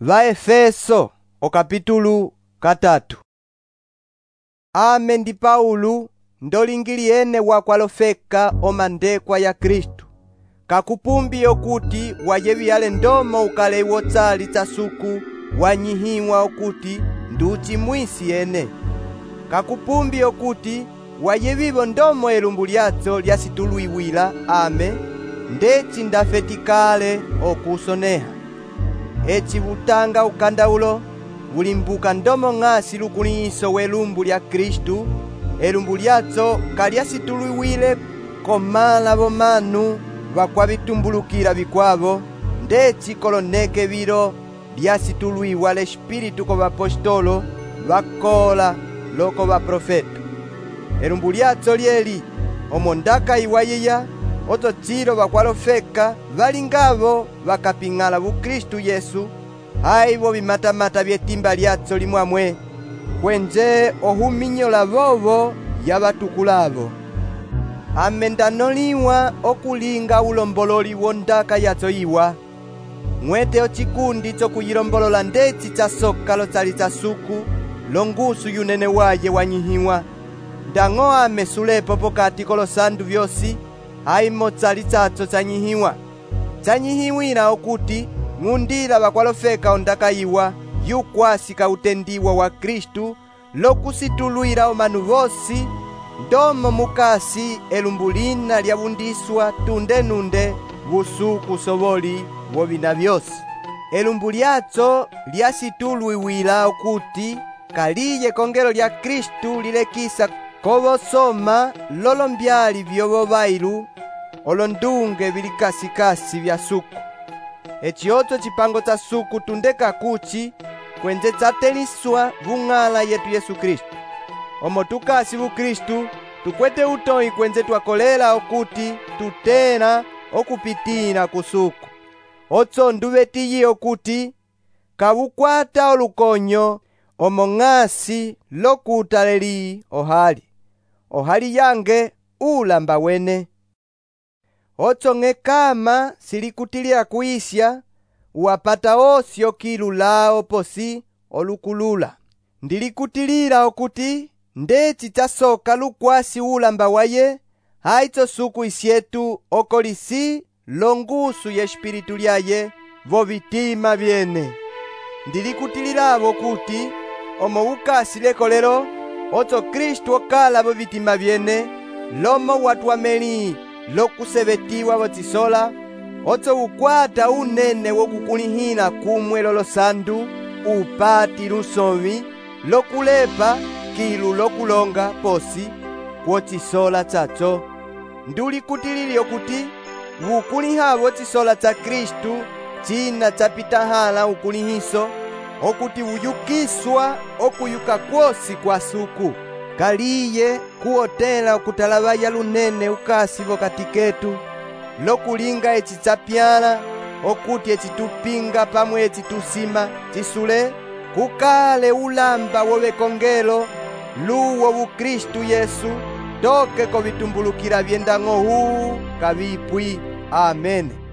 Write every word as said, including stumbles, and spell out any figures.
Vaefeso o capítulo katatu. Ame ndi Paulo ndolingiliene wakwalofeka omandekwa ya Kristu. Kakupumbi okuti wayevyale ndomo ukale wotsali tsasuku wanyihiwa okuti nduchi mwisi ene. Kakupumbi okuti wayevivo ndomo elumbu lyatso lyasituluiwila ame ndeci ndafetikale okusoneha. Eci butanga ukandaulo bulimbuka ndomo ng'asi lukuliso welumbu lya Kristu, elumbu lyatso kalyasituluiwile komala bomanu bakwabitumbulukila bikwabo, ndeci koloneke bilo lyasituluiwa l'Espiritu ko bapostolo bakola loko baprofeta. Elumbu lyatso lyeli omo ndakayiwayiya oto chilo bakwalofeka balingabo bakaping'ala bukristu Yesu aibo bimatamata byetimba lyatso limwamwe kwenje ohuminyola bobo yabatukulabo. Ame ndanoliwa okulinga ulombololi wondaka yatso iwa mwete ochikundi chokuyilombolola ndeci chasoka lotsali tsasuku longusu yunene waye wanyihiwa. Ndang'o ame sulepo pokati kolosandu byosi aimo tsali tsatso tsanyihiwa tsanyihiwila okuti ng'undila bakwalofeka ondakayiwa yukwasi kautendiwa wa Kristu lokusitulwila omanu bosi ndomo mukasi elumbu lina lyabundiswa tunde nunde busuku soboli bobina byosi. Elumbu lyatso lyasitulwiwila okuti kaliye kongelo lya Kristu lilekisa kobosoma lolombyali byobo bailu olondunge bilikasikasi bya suku. Eci otso chipango tsa suku tundeka kuchi kwenje tsateliswa bung'ala yetu Yesu Kristu. Omo tukasi bu Kristu tukwete utoi kwenje twakolela okuti tutena okupitila kusuku. Otso ndubetiyi okuti kabukwata olukonyo omo ng'asi lokutaleli ohali ohali yange ulamba wene. Otso ng'ekama silikutilila kuisya uwapata osi okilulao posi olukulula. Ndilikutilila okuti ndeci chasoka lukwasi ulamba waye haitso suku isyetu okolisi longusu ye Espiritu lyaye vo bitima byene. Ndilikutililabo kuti omo ukasi lekolelo otso Kristu okala vo bitima byene lomo watwameli lokusebetiwa botsisola otso ukwata unene wokukulihila kumwe lolosandu upati lusomi lokulepa kilu lokulonga posi kwotsisola tsatso. Ndulikutilili okuti wukuliha botsisola tsa Kristu china chapitahala ukulihiso okuti wuyukiswa okuyuka kwosi kwa suku kaliye kuotela okutalabaya lunene ukasi vokati ketu lokulinga eci tsapyala okuti eci tupinga pamwe eci tusima tisule kukale ulamba wobekongelo luwo bukristu Yesu toke kovitumbulukila byendang'o huu kabipwi. Amen.